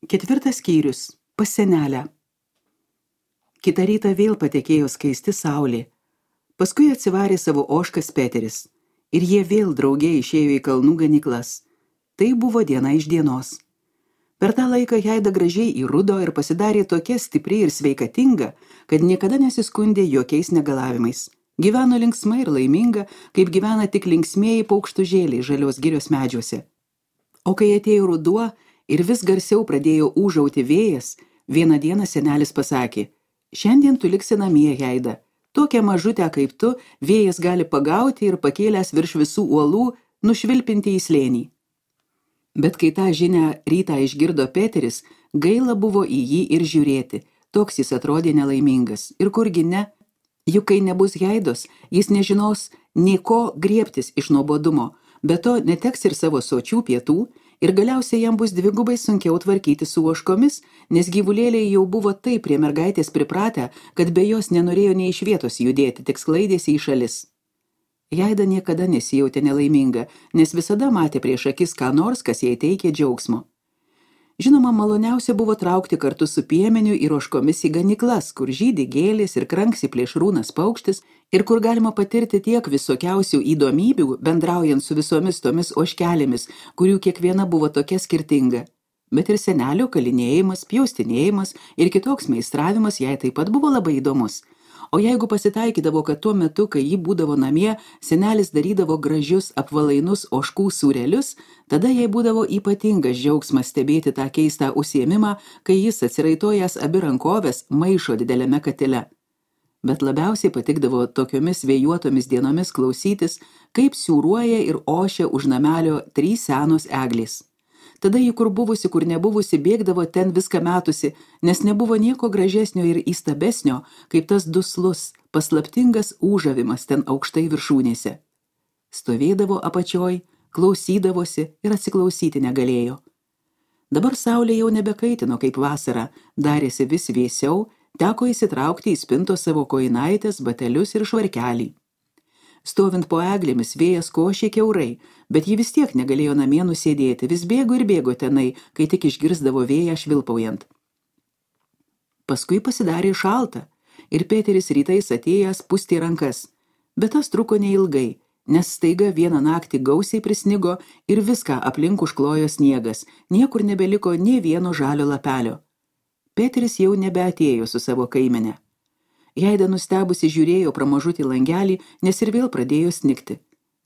Ketvirtas skyrius. Pas senelę. Kitą rytą vėl patekėjo skaisti saulė. Paskui atsivarė savo ožkas Peteris. Ir jie vėl drauge išėjo į kalnų ganyklas. Tai buvo diena iš dienos. Per tą laiką Heida gražiai įrudo ir pasidarė tokia stipri ir sveikatinga, kad niekada nesiskundė jokiais negalavimais. Gyveno linksmai ir laiminga, kaip gyvena tik linksmieji paukštužėliai žalios girios medžiuose. O kai atėjo ruduo ir vis garsiau pradėjo ūžauti vėjas, vieną dieną senelis pasakė: šiandien tu liksi namie, Heida. Tokią mažutę kaip tu vėjas gali pagauti ir pakėlęs virš visų uolų nušvilpinti į slėnį. Bet kai tą žinią rytą išgirdo Peteris, gaila buvo į jį ir žiūrėti, toks jis atrodė nelaimingas. Ir kurgi ne, juk kai nebus Heidos, jis nežinos nei ko griebtis iš nuobodumo, be to neteks ir savo sočių pietų, ir galiausiai jam bus dvigubai sunkiau tvarkyti su ožkomis, nes gyvulėliai jau buvo taip prie mergaitės pripratę, kad be jos nenorėjo nei iš vietos judėti, tik sklaidėsi į šalis. Heida niekada nesijautė nelaiminga, nes visada matė prieš akis ką nors, kas jai teikė džiaugsmo. Žinoma, maloniausia buvo traukti kartu su piemeniu ir ožkomis į ganyklas, kur žydi gėlės ir kranksi plėšrūnas paukštis ir kur galima patirti tiek visokiausių įdomybių, bendraujant su visomis tomis ožkelėmis, kurių kiekviena buvo tokia skirtinga. Bet ir senelio kalinėjimas, pjaustinėjimas ir kitoks meistravimas jai taip pat buvo labai įdomus. O jeigu pasitaikydavo, kad tuo metu, kai ji būdavo namie, senelis darydavo gražius apvalainus ožkų sūrelius, tada jai būdavo ypatingas džiaugsmas stebėti tą keistą užsiėmimą, kai jis atsiraitojęs abi rankovės maišo dideliame katile. Bet labiausiai patikdavo tokiomis vėjuotomis dienomis klausytis, kaip siūruoja ir ošia už namelio 3 senos eglės. Tada ji kur buvusi, kur nebuvusi, bėgdavo ten viską metusi, nes nebuvo nieko gražesnio ir įstabesnio, kaip tas duslus, paslaptingas ūžavimas ten aukštai viršūnėse. Stovėdavo apačioj, klausydavosi ir atsiklausyti negalėjo. Dabar saulė jau nebekaitino kaip vasara, darėsi vis vėsiau, teko įsitraukti į spintos savo kojinaitės, batelius ir švarkelį. Stovint po eglėmis vėjas košė kiaurai, bet ji vis tiek negalėjo namie nusėdėti, vis bėgo ir bėgo tenai, kai tik išgirsdavo vėją švilpaujant. Paskui pasidarė šalta ir Peteris rytais atėjęs pustė rankas, bet tas truko neilgai, nes staiga vieną naktį gausiai prisnigo ir viską aplink užklojo sniegas, niekur nebeliko nė vieno žalio lapelio. Peteris jau nebeatėjo su savo kaimene. Heida nustebusi žiūrėjo pro mažutį langelį, nes ir vėl pradėjo snigti.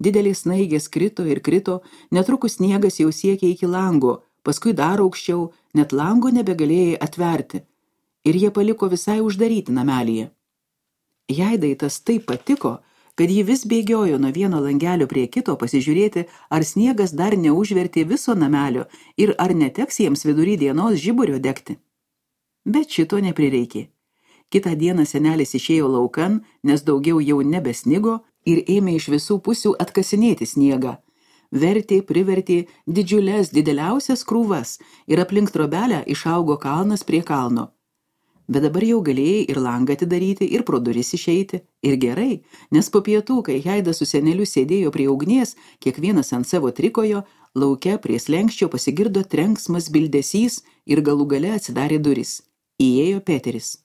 Didelės snaigės krito ir krito, netrukus sniegas jau siekė iki lango, paskui dar aukščiau, net lango nebegalėjai atverti. Ir jie paliko visai uždaryti namelyje. Heidai tas taip patiko, kad ji vis bėgiojo nuo vieno langelio prie kito pasižiūrėti, ar sniegas dar neužvertė viso namelio ir ar neteks jiems vidury dienos žiburio degti. Bet šito neprireikė. Kitą dieną senelis išėjo laukan, nes daugiau jau nebesnigo ir ėmė iš visų pusių atkasinėti sniegą. Vertė, privertė dideliausias krūvas ir aplink trobelę išaugo kalnas prie kalno. Bet dabar jau galėjai ir langą atidaryti, ir pro duris išeiti. Ir gerai, nes po pietų, kai Heida su seneliu sėdėjo prie ugnies, kiekvienas ant savo trikojo, lauke prie slenkščio pasigirdo trenksmas bildesys ir galų gale atsidarė duris. Įėjo Peteris.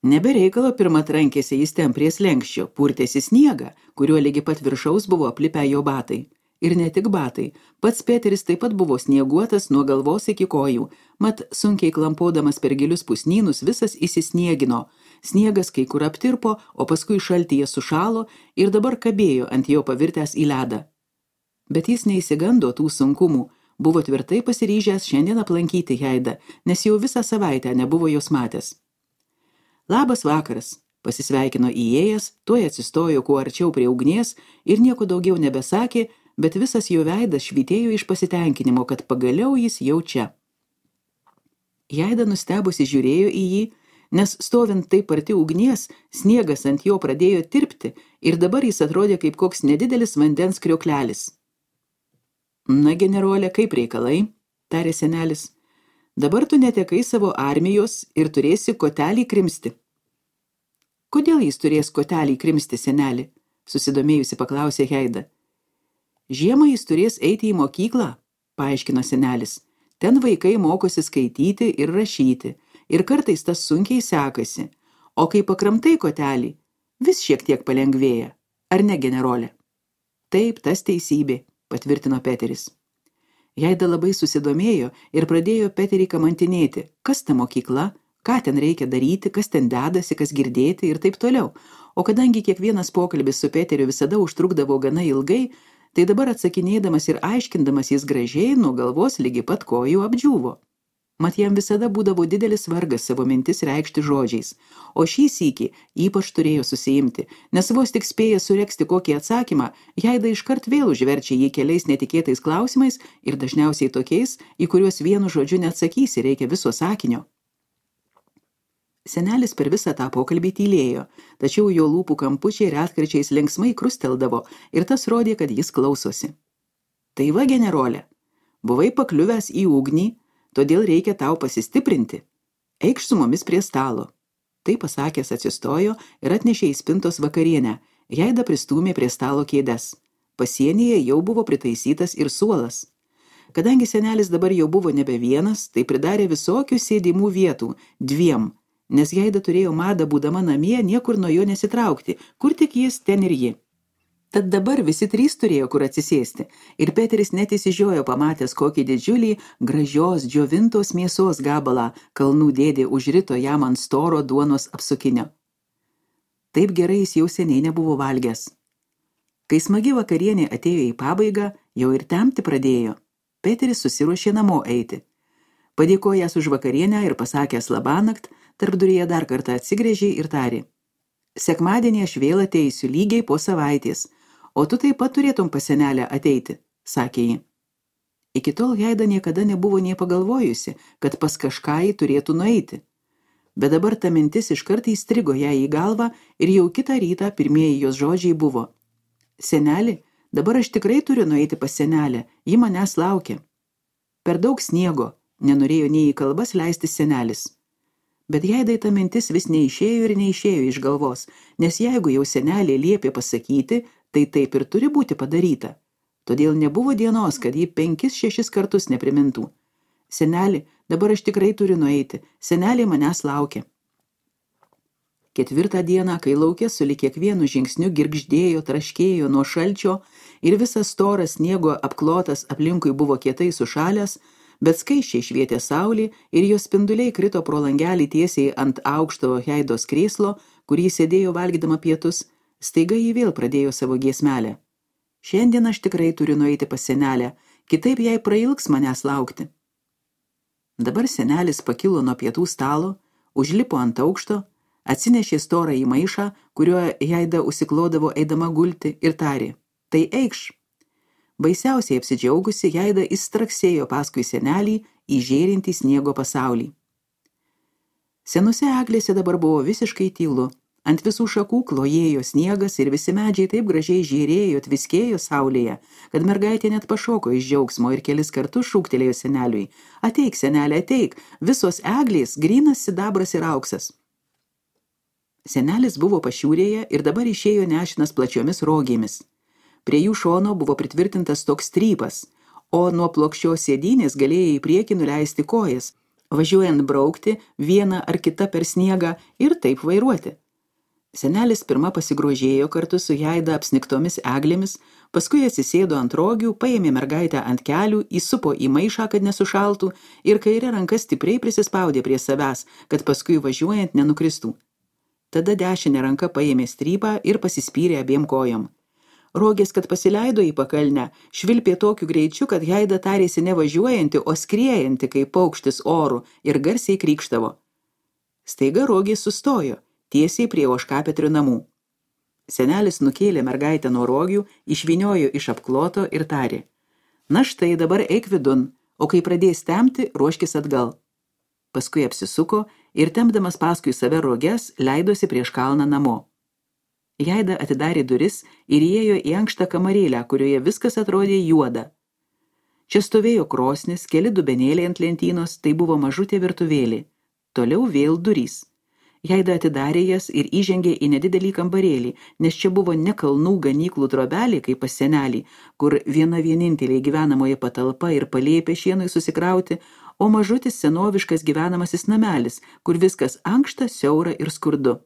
Nebereikalo pirmą trankėsi jis ten prie slenkščio, purtėsi sniegą, kuriuo lygi pat viršaus buvo aplipę jo batai. Ir ne tik batai, pats Peteris taip pat buvo snieguotas nuo galvos iki kojų, mat sunkiai klampodamas per gilius pusnynus visas įsisniegino. Sniegas kai kur aptirpo, o paskui šaltyje sušalo ir dabar kabėjo ant jo pavirtęs į ledą. Bet jis neįsigando tų sunkumų, buvo tvirtai pasiryžęs šiandien aplankyti Heidą, nes jau visą savaitę nebuvo jos matęs. Labas vakaras, pasisveikino įėjęs, tuoj atsistojo kuo arčiau prie ugnies ir nieko daugiau nebesakė, bet visas jo veidas švytėjo iš pasitenkinimo, kad pagaliau jis jau čia. Heida nustebusi žiūrėjo į jį, nes stovint taip arti ugnies, sniegas ant jo pradėjo tirpti ir dabar jis atrodė kaip koks nedidelis vandens krioklelis. Na, generolė, kaip reikalai, tarė senelis. Dabar tu netekai savo armijos ir turėsi kotelį krimsti. Kodėl jis turės kotelį krimsti, senelį? Susidomėjusi paklausė Heida. Žiemą jis turės eiti į mokyklą, paaiškino senelis. Ten vaikai mokosi skaityti ir rašyti, ir kartais tas sunkiai sekasi, o kai pakramtai kotelį, vis šiek tiek palengvėja. Ar ne, generolė? Taip, tas teisybė, patvirtino Peteris. Jaida labai susidomėjo ir pradėjo Peterį kamantinėti, kas ta mokykla, ką ten reikia daryti, kas ten dedasi, kas girdėti ir taip toliau. O kadangi kiekvienas pokalbis su Peteriu visada užtrukdavo gana ilgai, tai dabar atsakinėdamas ir aiškindamas jis gražiai nuo galvos lygi pat kojų apdžiūvo. Mat jam visada būdavo didelis vargas savo mintis reikšti žodžiais, o šį sykį ypač turėjo susiimti, nes vos tik spėja suregzti kokį atsakymą, Jaida iškart vėl užverčia jį keliais netikėtais klausimais ir dažniausiai tokiais, į kuriuos vienu žodžiu neatsakysi, reikia viso sakinio. Senelis per visą tą pokalbį tylėjo, tačiau jo lūpų kampučiai retkarčiais linksmai krusteldavo ir tas rodė, kad jis klausosi. Tai va, generolė, buvai pakliuvęs į ugnį, todėl reikia tau pasistiprinti. Eikš su mumis prie stalo. Tai pasakęs atsistojo ir atnešė į spintos vakarienę. Jaida pristūmė prie stalo kėdes. Pasienyje jau buvo pritaisytas ir suolas. Kadangi senelis dabar jau buvo nebe vienas, tai pridarė visokių sėdimų vietų, 2, nes Jaida turėjo madą būdama namie niekur nuo jo nesitraukti, kur tik jis, ten ir ji. Tad dabar visi 3 turėjo kur atsisėsti ir Peteris net įsižiojo pamatęs kokį didžiulį gražios džiovintos mėsos gabalą kalnų dėdė užrito jam ant storo duonos apsukinio. Taip gerai jis jau seniai nebuvo valgęs. Kai smagi vakarienė atėjo į pabaigą, jau ir temti pradėjo. Peteris susiruošė namo eiti. Padėkojęs už vakarienę ir pasakęs labanakt, tarpduryje dar kartą atsigręžė ir tarė: Sekmadienį aš vėl ateisiu lygiai po savaitės, o tu taip pat turėtum pas senelę ateiti, sakė ji. Iki tol Jaida niekada nebuvo nė pagalvojusi, kad pas kažką jį turėtų nueiti. Bet dabar ta mintis iškart įstrigo jai į galvą ir jau kitą rytą pirmieji jos žodžiai buvo: Seneli, dabar aš tikrai turiu nueiti pas senelę, ji manęs laukia. Per daug sniego, nenorėjo nei į kalbas leisti senelis. Bet Jaidai ta mintis vis neišėjo ir neišėjo iš galvos, nes jeigu jau senelė liepė pasakyti, tai taip ir turi būti padaryta. Todėl nebuvo dienos, kad ji 5-6 kartus neprimintų. Seneli, dabar aš tikrai turiu nueiti, senelė manęs laukia. 4 dieną, kai lauke sulig kiekvienu žingsniu girgždėjo, traškėjo nuo šalčio ir visas storas sniego apklotas aplinkui buvo kietai sušalęs, bet skaisčiai švietė saulė ir jos spinduliai krito pro langelį tiesiai ant aukšto Jaidos krėslo, kur jis sėdėjo valgydama pietus, staiga jį vėl pradėjo savo giesmelę. Šiandien aš tikrai turiu nueiti pas senelę, kitaip jai prailgs manęs laukti. Dabar senelis pakilo nuo pietų stalo, užlipo ant aukšto, atsinešė storą į maišą, kuriuo Jaida užsiklodavo eidama gulti ir tarė: Tai eikš. Baisiausiai apsidžiaugusi, Jaida įstraksėjo paskui senelį į žėrintį sniego pasaulį. Senose eglėse dabar buvo visiškai tylu. Ant visų šakų klojėjo sniegas ir visi medžiai taip gražiai žėrėjo, tviskėjo saulėje, kad mergaitė net pašoko iš džiaugsmo ir kelis kartus šūktelėjo seneliui: Ateik, senelė, ateik, visos eglės, grynas sidabras ir auksas. Senelis buvo pašiūrėje ir dabar išėjo nešinas plačiomis rogėmis. Prie jų šono buvo pritvirtintas toks strypas, o nuo plokščios sėdynės galėjai į priekį nuleisti kojas, važiuojant braukti vieną ar kitą per sniegą ir taip vairuoti. Senelis pirma pasigrožėjo kartu su Jaida apsnigtomis eglėmis, paskui atsisėdo ant rogių, paėmė mergaitę ant kelių, įsupo į maišą, kad nesušaltų, ir kairė ranka stipriai prisispaudė prie savęs, kad paskui važiuojant nenukristų. Tada dešinė ranka paėmė strypą ir pasispyrė abiem kojom. Rogės, kad pasileido į pakalnę, švilpė tokiu greičiu, kad Jaida tarėsi nevažiuojanti, o skriejanti kaip paukštis oru ir garsiai krykštavo. Staiga rogės sustojo, tiesiai prie ožkapetrių namų. Senelis nukėlė mergaitę nuo rogių, išvyniojo iš apkloto ir tarė: Na štai, dabar eik vidun, o kai pradės tempti, ruoškis atgal. Paskui apsisuko ir tempdamas paskui save roges, leidosi prieš kalną namo. Jaida atidarė duris ir įėjo į ankštą kamarėlę, kurioje viskas atrodė juoda. Čia stovėjo krosnis, keli dubenėliai ant lentynos, tai buvo mažutė virtuvėlė. Toliau vėl durys. Jaida atidarė jas ir įžengė į nedidelį kambarėlį, nes čia buvo ne kalnų ganyklų trobelė, kaip pas senelį, kur viena vienintelė gyvenamoji patalpa ir palėpė šienui susikrauti, o mažutis senoviškas gyvenamasis namelis, kur viskas ankšta, siaura ir skurdu.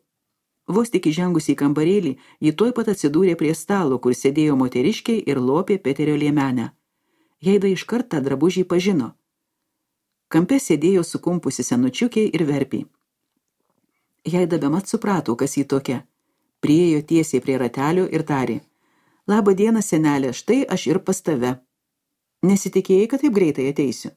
Vos tik įžengusi į kambarėlį, ji tuoj pat atsidūrė prie stalo, kur sėdėjo moteriškiai ir lopė Peterio liemenę. Jaida iškart tą drabužį pažino. Kampe sėdėjo sukumpusi senučiukė ir verpį. Jaida bemat suprato, kas jį tokia. Priėjo tiesiai prie ratelio ir tarė: "Labą dieną, senelė, štai aš ir pas tave. Nesitikėjai, kad taip greitai ateisiu?"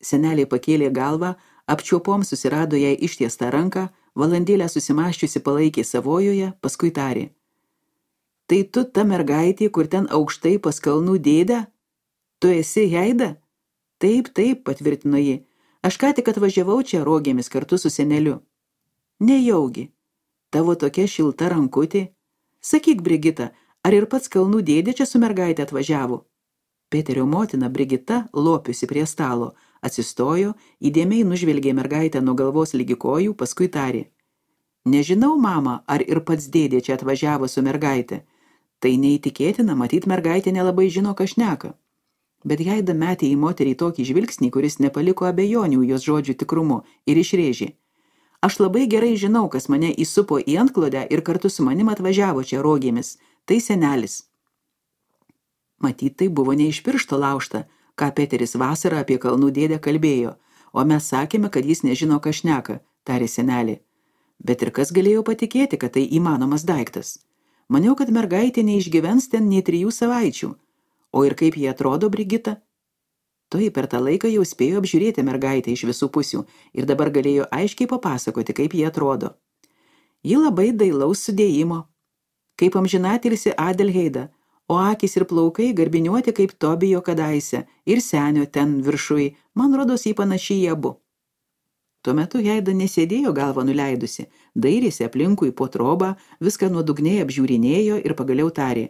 Senelė pakėlė galvą, apčiuopom susirado jai ištiestą ranką, valandėlę susimaščiusi palaikė savojoje, paskui tarė: "Tai tu ta mergaitė, kur ten aukštai pas kalnų dėdę? Tu esi Jaida?" "Taip, taip," patvirtino ji. "Aš ką tik atvažiavau čia rogėmis kartu su seneliu." "Nejaugi, tavo tokia šilta rankutė. Sakyk, Brigita, ar ir pats kalnų dėdė čia su mergaitė atvažiavo?" Peterio motina Brigita, lopiusi prie stalo, atsistojo, įdėmiai nužvelgė mergaitę nuo galvos ligi kojų, paskui tarė: "Nežinau, mama, ar ir pats dėdė čia atvažiavo su mergaitė. Tai neįtikėtina, matyt, mergaitė nelabai žino, ką šneka." Bet Jaida metė į moterį tokį žvilgsnį, kuris nepaliko abejonių jos žodžių tikrumu, ir išrėžė: "Aš labai gerai žinau, kas mane įsupo į antklodę ir kartu su manim atvažiavo čia rogėmis. Tai senelis." Matyt, tai buvo ne iš piršto laužta, ką Peteris vasarą apie kalnų dėdę kalbėjo, o mes sakėme, kad jis nežino, ką šneka, tarė senelė. Bet ir kas galėjo patikėti, kad tai įmanomas daiktas? Maniau, kad mergaitė neišgyvens ten nei 3 savaičių. O ir kaip jie atrodo, Brigita? Toji per tą laiką jau spėjo apžiūrėti mergaitę iš visų pusių ir dabar galėjo aiškiai papasakoti, kaip jie atrodo. Ji labai dailaus sudėjimo, kaip amžinatilsi Adelheida, o akys ir plaukai garbiniuoti kaip Tobijo kadaise ir senio ten viršui, man rodos jį panašiai į abu. Tuo metu Jaida nesėdėjo galvą nuleidusi, dairėsi aplinkui po trobą, viską nuodugniai apžiūrinėjo ir pagaliau tarė: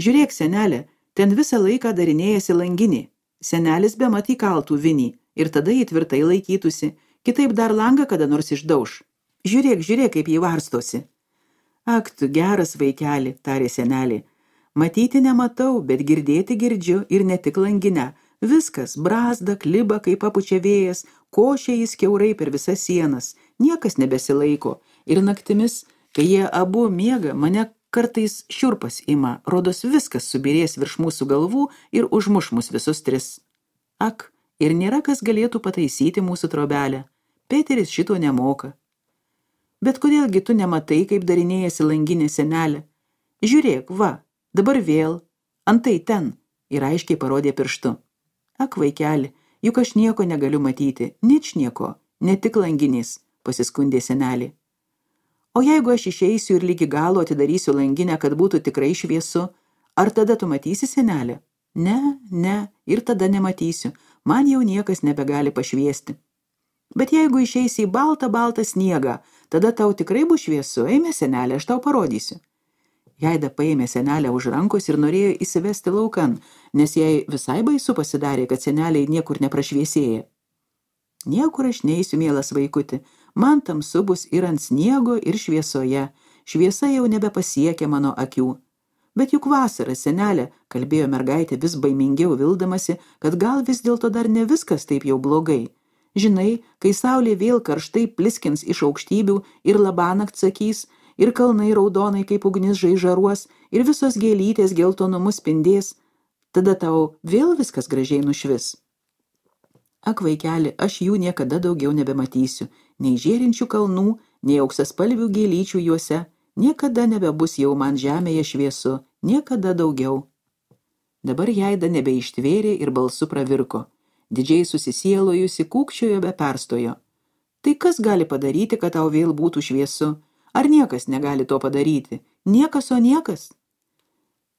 "Žiūrėk, senelė, ten visą laiką darinėjasi langinį. Senelis bemat įkaltų vinį ir tada jį tvirtai laikytųsi, kitaip dar langą kada nors išdauš. Žiūrėk, žiūrėk, kaip jį varstosi." "Ak, tu geras vaikeli," tarė senelė. "Matyti nematau, bet girdėti girdžiu ir ne tik langinę. Viskas, brazda, kliba, kaip papučia vėjas, košia jis kiaurai per visas sienas, niekas nebesilaiko. Ir naktimis, kai jie abu miega, mane kartais šiurpas ima, rodos viskas subirės virš mūsų galvų ir užmuš mus visus 3. Ak, ir nėra kas galėtų pataisyti mūsų trobelę. Peteris šito nemoka." "Bet kodėlgi tu nematai, kaip darinėjasi langinė, senelė? Žiūrėk, va, dabar vėl, antai ten," ir aiškiai parodė pirštu. "Ak, vaikeli, juk aš nieko negaliu matyti, ničnieko, ne tik langinės," pasiskundė senelė. "O jeigu aš išeisiu ir lygi galo atidarysiu langinę, kad būtų tikrai šviesu, ar tada tu matysi, senelė?" Ne, ir tada nematysiu, man jau niekas nebegali pašviesti." "Bet jeigu išeisi į baltą sniegą, tada tau tikrai bus šviesu, eime, senelė, aš tau parodysiu." Jaida paėmė senelę už rankos ir norėjo įsivesti laukan, nes jai visai baisu pasidarė, kad seneliai niekur neprašviesėja. "Niekur aš neisiu, mielas vaikuti, man tamsu bus ir ant sniego, ir šviesoje, šviesa jau nebepasiekia mano akių." "Bet juk vasara, senelė," kalbėjo mergaitė vis baimingiau vildamasi, kad gal vis dėlto dar ne viskas taip jau blogai. "Žinai, kai saulė vėl karštai pliskins iš aukštybių ir labanakt sakys, ir kalnai raudonai kaip ugnis žaižaruos, ir visos gėlytės geltonumu spindės, tada tau vėl viskas gražiai nušvis." "Ak, vaikeli, aš jų niekada daugiau nebematysiu, nei žėrinčių kalnų, nei auksaspalvių gėlyčių juose, niekada nebebus jau man žemėje šviesu, niekada daugiau." Dabar Jaida nebeištvėrė ir balsu pravirko. Didžiai susisielojusi kūkčiojo be perstojo. "Tai kas gali padaryti, kad tau vėl būtų šviesu? Ar niekas negali to padaryti? Niekas, o niekas?"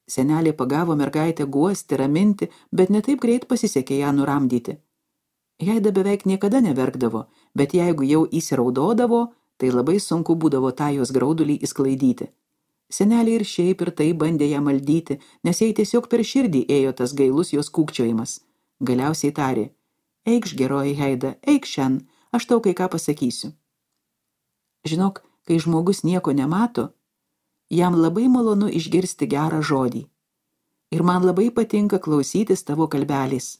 Senelė pagavo mergaitę guosti, raminti, bet ne taip greit pasisekė ją nuramdyti. Jaida beveik niekada neverkdavo, bet jeigu jau įsiraudodavo, tai labai sunku būdavo tą jos graudulį įsklaidyti. Senelė ir šiaip ir tai bandė ją maldyti, nes jai tiesiog per širdį ėjo tas gailus jos kūkčiojimas. Galiausiai tarė: "Eikš, geroji Jaida, eik šiandien, aš tau kai ką pasakysiu." Žinok, kai žmogus nieko nemato, jam labai malonu išgirsti gerą žodį. Ir man labai patinka klausytis tavo kalbelės.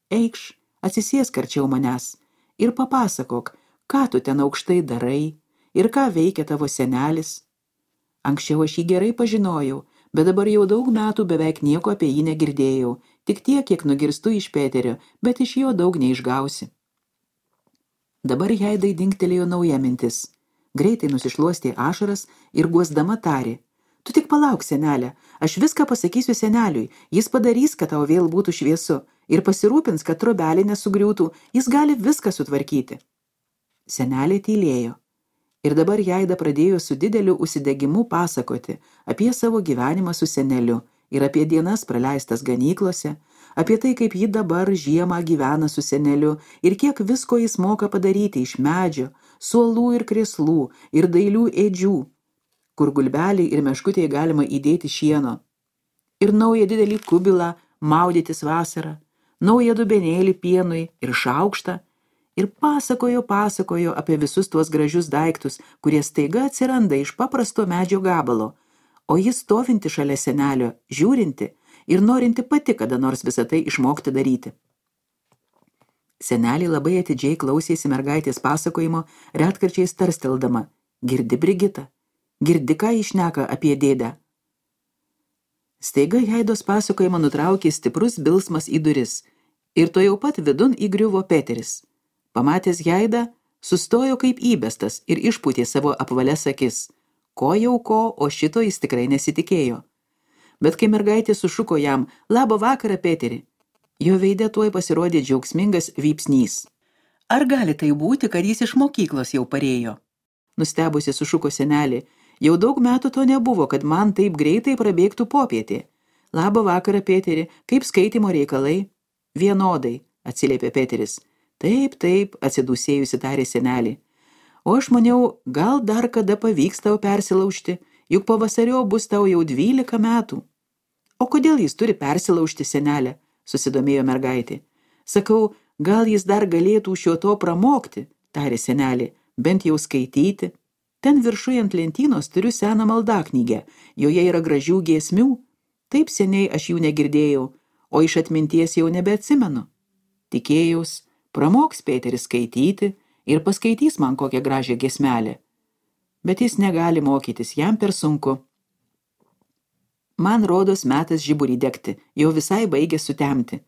Eikš, atsisėsk arčiau manęs ir papasakok, ką tu ten aukštai darai ir ką veikia tavo senelis. Anksčiau aš jį gerai pažinojau, bet dabar jau daug metų beveik nieko apie jį negirdėjau, tik tiek, kiek nugirstu iš Peterio, bet iš jo daug neišgausi. Dabar Heidai dingtelėjo nauja mintis. Greitai nusišluostė ašaras ir guosdama tarė: tu tik palauk, senelė, aš viską pasakysiu seneliui, jis padarys, kad tau vėl būtų šviesu ir pasirūpins, kad trobelė nesugriūtų, jis gali viską sutvarkyti. Senelė tylėjo. Ir dabar Heida pradėjo su dideliu užsidegimu pasakoti apie savo gyvenimą su seneliu ir apie dienas praleistas ganyklose, apie tai, kaip ji dabar žiemą gyvena su seneliu ir kiek visko jis moka padaryti iš medžio, suolų ir krėslų ir dailių ėdžių, kur gulbelį ir meškutėje galima įdėti šieno, ir naują didelį kubilą maudytis vasarą, naują dubenėlį pienui ir šaukštą, ir pasakojo apie visus tuos gražius daiktus, kurie staiga atsiranda iš paprasto medžio gabalo, o jis stovinti šalia senelio, žiūrinti ir norinti pati kada nors visą tai išmokti daryti. Senelė labai atidžiai klausėsi mergaitės pasakojimo, retkarčiais tarsteldama: girdi, Brigita? Girdi, ką jis šneka apie dėdę? Staiga Heidos pasakojimą nutraukė stiprus bilsmas į duris ir to jau pat vidun įgriuvo Peteris. Pamatęs Heidą, sustojo kaip įbestas ir išpūtė savo apvalias akis. Ko jau ko, o šito jis tikrai nesitikėjo. Bet kai mergaitė sušuko jam: labą vakarą, Peteri, jo veide tuoj pasirodė džiaugsmingas vypsnys. Ar gali tai būti, kad jis iš mokyklos jau parėjo? Nustebusi sušuko senelė: jau daug metų to nebuvo, kad man taip greitai prabėgtų popietė. Labą vakarą, Peteri, kaip skaitymo reikalai? Vienodai, atsiliepė Peteris. Taip, atsidūsėjusi tarė senelį. O aš maniau, gal dar kada pavyks tau persilaužti, juk pavasario bus tau jau 12 metų. O kodėl jis turi persilaužti, senelė? Susidomėjo mergaitė. Sakau, gal jis dar galėtų šio to pramokti, tarė senelė, bent jau skaityti. Ten viršuje ant lentynos turiu seną maldaknygę, joje yra gražių giesmių. Taip seniai aš jų negirdėjau, o iš atminties jau nebeatsimenu. Tikėjaus, pramoks Peteris skaityti ir paskaitys man kokią gražią giesmelę. Bet jis negali mokytis, jam per sunku. Man rodos metas žiburį degti, jau visai baigė sutemti,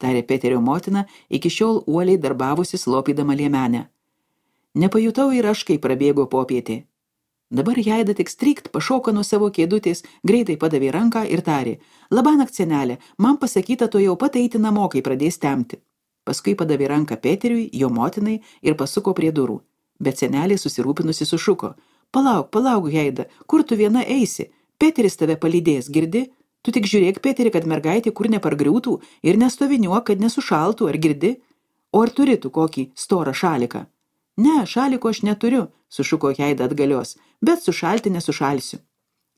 tarė Peterio motina, iki šiol uoliai darbavusi slopydama liemenę. Nepajutau ir aš, kai prabėgo popietė. Dabar Heida tik strykt pašoka nuo savo kėdutės, greitai padavė ranką ir tarė: labanakt, senelė, man pasakyta to jau pat eiti namo, kai pradės temti. Paskui padavė ranką Peteriui, jo motinai, ir pasuko prie durų. Bet senelė susirūpinusi sušuko: palauk, Heida, kur tu viena eisi? Peteris tave palydės, girdi? Tu tik žiūrėk, Peteri, kad mergaitė kur nepargriūtų ir nestoviniuok, kad nesušaltų, ar girdi? O ar turi tu kokį storą šaliką? Ne, šaliko aš neturiu, sušuko Heida atgalios, bet sušalti nesušalsiu.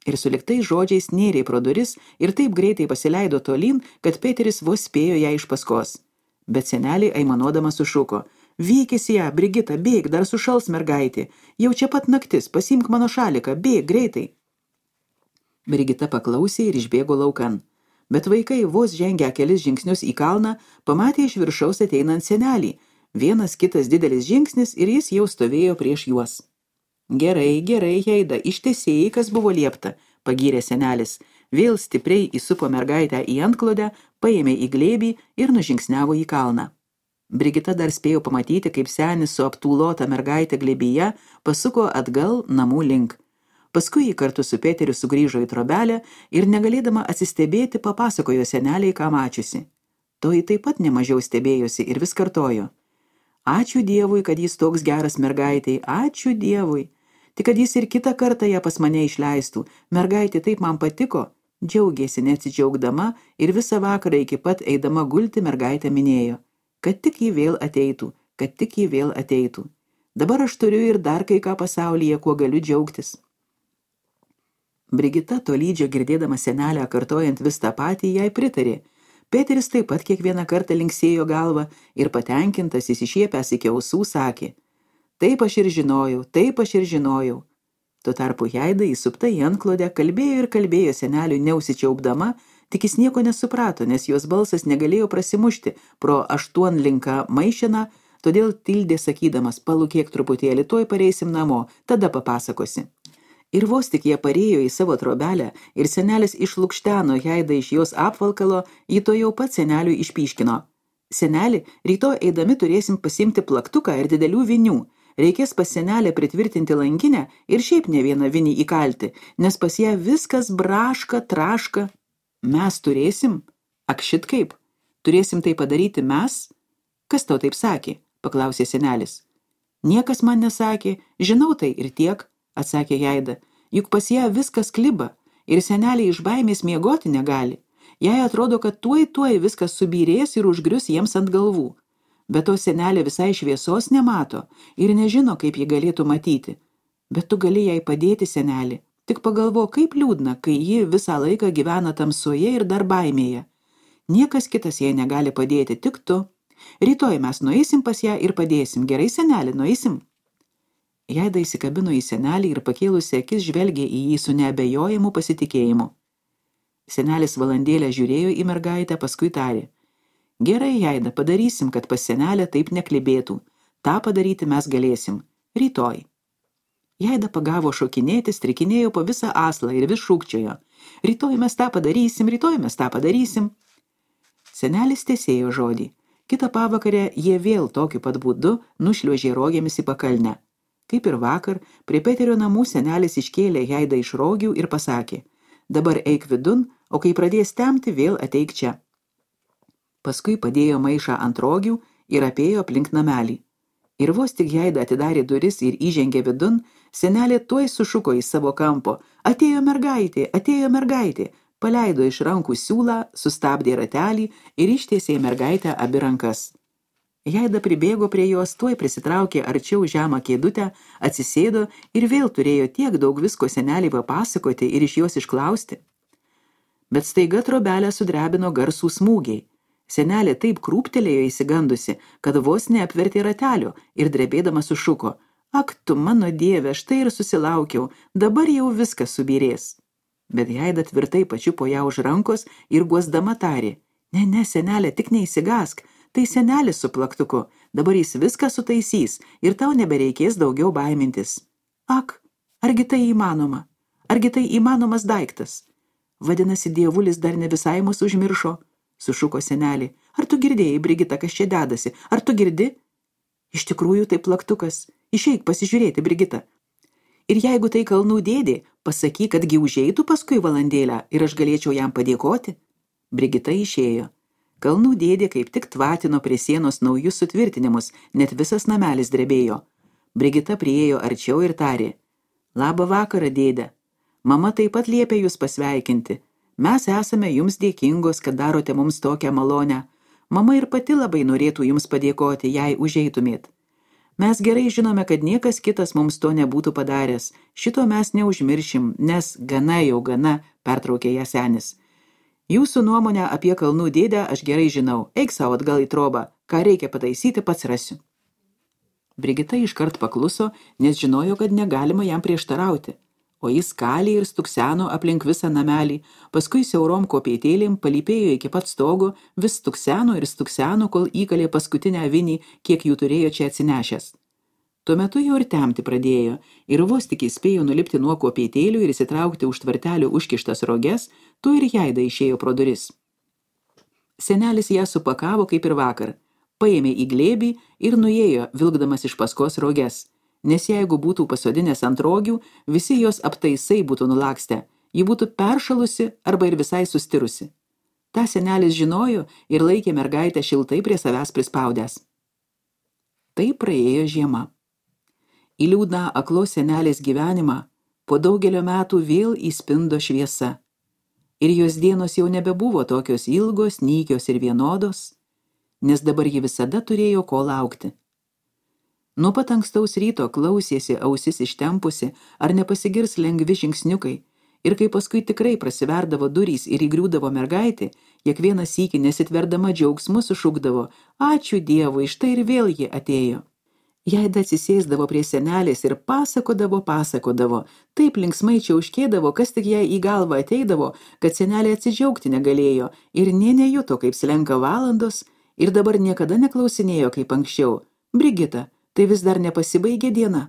Ir suliktais žodžiais nėrė pro duris ir taip greitai pasileido tolyn, kad Peteris vos spėjo ją iš paskos. Bet senelė aimanuodama sušuko: vykis ją, Brigita, bėg, dar sušals mergaitė, jau čia pat naktis, pasiimk mano šaliką, bėg, greitai. Brigita paklausė ir išbėgo laukan, bet vaikai vos žengę kelis žingsnius į kalną, pamatė iš viršaus ateinant senelį, vienas kitas didelis žingsnis ir jis jau stovėjo prieš juos. Gerai, Heida, ištesėjai, kas buvo liepta, pagyrė senelis, vėl stipriai įsupo mergaitę į antklodę, paėmė į glėbį ir nužingsniavo į kalną. Brigita dar spėjo pamatyti, kaip senis su aptūlota mergaitė glėbyje pasuko atgal namų link. Paskui jį kartu su Peteriu sugrįžo į trobelę ir negalėdama atsistebėti papasakojo seneliai, ką mačiusi. Toji taip pat nemažiau stebėjosi ir vis kartojo: ačiū Dievui, kad jis toks geras mergaitai, ačiū Dievui. Tik kad jis ir kitą kartą ją pas mane išleistų, mergaitė taip man patiko. Džiaugėsi neatsidžiaugdama ir visą vakarą iki pat eidama gulti mergaitę minėjo, kad tik jį vėl ateitų. Dabar aš turiu ir dar kai ką pasaulyje, kuo galiu džiaugtis. Brigita tolydžio girdėdama senelę kartojant vis tą patį, jai pritarė. Peteris taip pat kiekvieną kartą linksėjo galvą ir patenkintas įsišiepęs iki ausų sakė: taip aš ir žinojau, taip aš ir žinojau. Tuo tarpu Jaida įsupta į antklodę kalbėjo ir kalbėjo seneliui neusičiaupdama, tik jis nieko nesuprato, nes jos balsas negalėjo prasimušti pro aštuonlinką maišeną, todėl tildė sakydamas, palūkėk truputėlį, tuoj pareisim namo, tada papasakosi. Ir vos tik jie parėjo į savo trobelę ir senelis išlukšteno Jaidą iš jos apvalkalo, jį to jau pat seneliui išpyškino. Seneli, rytoj eidami turėsim pasimti plaktuką ir didelių vinių. Reikės pas senelę pritvirtinti langinę ir šiaip ne vieną vinį įkalti, nes pas ją viskas braška, traška. Mes turėsim? Ak šit kaip? Turėsim tai padaryti mes? Kas tau taip sakė? Paklausė senelis. Niekas man nesakė, žinau tai ir tiek, atsakė Jaida. Juk pas ją viskas kliba ir seneliai iš baimės miegoti negali. Jai atrodo, kad tuoj viskas subyrės ir užgrius jiems ant galvų. Bet to senelė visai šviesos nemato ir nežino, kaip ji galėtų matyti. Bet tu gali jai padėti, senelį. Tik pagalvo, kaip liūdna, kai ji visą laiką gyvena tamsoje ir dar baimėje. Niekas kitas jai negali padėti, tik tu. Rytoj mes nueisim pas ją ir padėsim. Gerai, senelį, nueisim? Jaida įsikabino į senelį ir pakėlusi akis žvelgė į jį su neabejojimu pasitikėjimu. Senelis valandėlę žiūrėjo į mergaitę, paskui tarė. Gerai, Jaida, padarysim, kad pas senelę taip neklibėtų. Ta padaryti mes galėsim. Rytoj. Jaida pagavo šokinėti, strikinėjo po visą aslą ir vis šūkčiojo. Rytoj mes tą padarysim, rytoj mes tą padarysim. Senelis tęsėjo žodį. Kitą pavakarę jie vėl tokiu pat būdu nušliuožė rogėmis į pakalnę. Kaip ir vakar, prie Peterio namų senelis iškėlė Jaidą iš rogių ir pasakė. Dabar eik vidun, o kai pradės temti, vėl ateik čia. Paskui padėjo maišą ant rogių ir apėjo aplink namelį. Ir vos tik Jaida atidarė duris ir įžengė vidun, senelė tuoj sušuko į savo kampo. Atėjo mergaitė, paleido iš rankų siūlą, sustabdė ratelį ir ištiesė mergaitę abi rankas. Jaida pribėgo prie jos, tuoj prisitraukė arčiau žemą kėdutę, atsisėdo ir vėl turėjo tiek daug visko senelį papasakoti ir iš jos išklausti. Bet staiga trobelę sudrebino garsų smūgiai. Senelė taip krūptelėjo įsigandusi, kad vos neapvertė ratelio ir drebėdama sušuko. Ak tu, mano dieve, štai ir susilaukiau, dabar jau viskas subyrės. Bet Jaida tvirtai pačiupo ją už rankos ir guosdama tarė. Ne, senelė, tik neįsigask. Tai senelis su plaktuku, dabar jis viską sutaisys ir tau nebereikės daugiau baimintis. Ak, argi tai įmanoma? Argi tai įmanomas daiktas? Vadinasi, dievulis dar ne visai mus užmiršo, sušuko senelį. Ar tu girdėjai, Brigita, kas čia dedasi? Ar tu girdi? Iš tikrųjų tai plaktukas. Išeik pasižiūrėti, Brigita. Ir jeigu tai kalnų dėdė, pasakyk, kadgi užeitų paskui valandėlę ir aš galėčiau jam padėkoti. Brigita išėjo. Kalnų dėdė kaip tik tvatino prie sienos naujus sutvirtinimus, net visas namelis drebėjo. Brigita priėjo arčiau ir tarė. Labą vakarą, dėde. Mama taip pat liepė jūs pasveikinti. Mes esame jums dėkingos, kad darote mums tokią malonę. Mama ir pati labai norėtų jums padėkoti, jei užeitumėt. Mes gerai žinome, kad niekas kitas mums to nebūtų padaręs. Šito mes neužmiršim, nes gana, pertraukė ją senis. Jūsų nuomonę apie kalnų dėdę aš gerai žinau. Eik savo atgal į trobą. Ką reikia pataisyti, pats rasiu. Brigita iškart pakluso, nes žinojo, kad negalima jam prieštarauti. O jis kalė ir stukseno aplink visą namelį, paskui siaurom kopėtėlėm palypėjo iki pat stogo, vis stukseno, kol įkalė paskutinę vinį, kiek jų turėjo čia atsinešęs. Tuo metu jau ir temti pradėjo, ir vos tik įspėjo nulipti nuo kopėtėlių ir įsitraukti už tvartelių užkištas roges, tu ir Jaida išėjo pro duris. Senelis ją supakavo kaip ir vakar, paėmė į glėbį ir nuėjo, vilkdamas iš paskos roges, nes jeigu būtų pasodinęs ant rogių, visi jos aptaisai būtų nulakstę, ji būtų peršalusi arba ir visai sustirusi. Ta senelis žinojo ir laikė mergaitę šiltai prie savęs prispaudęs. Tai praėjo žiema. Į liūdną aklos senelės gyvenimą po daugelio metų vėl įspindo šviesa. Ir jos dienos jau nebebuvo tokios ilgos, nykios ir vienodos, nes dabar ji visada turėjo ko laukti. Nuo pat ankstaus ryto klausėsi ausis ištempusi, ar nepasigirs lengvi žingsniukai, ir kai paskui tikrai prasiverdavo durys ir įgriūdavo mergaitė, kiekvieną sykį nesitverdama džiaugsmu sušukdavo, ačiū Dievui, štai ir vėl ji atėjo. Jaida atsisėsdavo prie senelės ir pasakodavo, taip linksmai čiauškėdavo, kas tik jai į galvą ateidavo, kad senelė atsidžiaugti negalėjo ir nė nejuto, kaip slenka valandos, ir dabar niekada neklausinėjo kaip anksčiau. Brigita, tai vis dar nepasibaigė diena.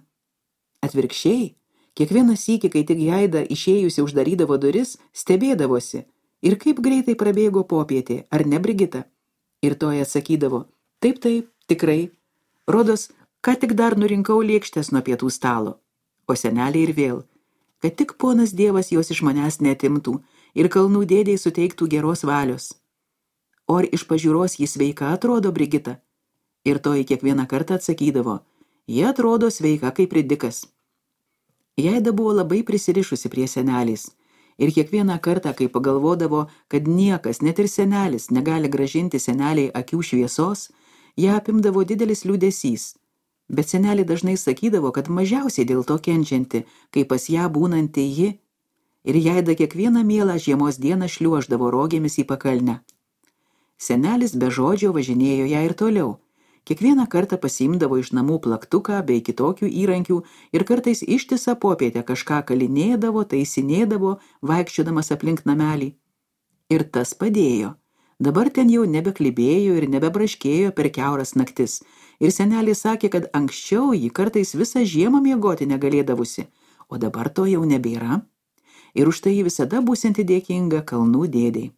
Atvirkščiai, kiekvieną sykį, kai tik Jaida išėjusi uždarydavo duris, stebėdavosi. Ir kaip greitai prabėgo popietė, ar ne, Brigita? Ir toji atsakydavo, taip, tikrai. Rodos, ką tik dar nurinkau lėkštės nuo pietų stalo. O senelė ir vėl, kad tik ponas Dievas jos iš manęs neatimtų ir kalnų dėdei suteiktų geros valios. O ar iš pažiūros jis sveika atrodo, Brigita? Ir toji kiekvieną kartą atsakydavo, jie atrodo sveika kaip ridikas. Jaida buvo labai prisirišusi prie senelės. Ir kiekvieną kartą, kai pagalvodavo, kad niekas, net ir senelis, negali gražinti seneliai akių šviesos, ją apimdavo didelis liūdesys. Bet senelė dažnai sakydavo, kad mažiausiai dėl to kenčianti, kai pas ją būnanti ji. Ir Jaida kiekvieną mielą žiemos dieną šliuoždavo rogėmis į pakalnę. Senelis be žodžio važinėjo ją ir toliau. Kiekvieną kartą pasiimdavo iš namų plaktuką bei kitokių įrankių ir kartais ištisą popietę kažką kalinėdavo, taisinėdavo, vaikščiodamas aplink namelį. Ir tas padėjo. Dabar ten jau nebeklibėjo ir nebebraškėjo per kiauras naktis. Ir senelė sakė, kad anksčiau ji kartais visą žiemą miegoti negalėdavusi, o dabar to jau nebėra. Ir už tai ji visada būsianti dėkinga kalnų dėdei.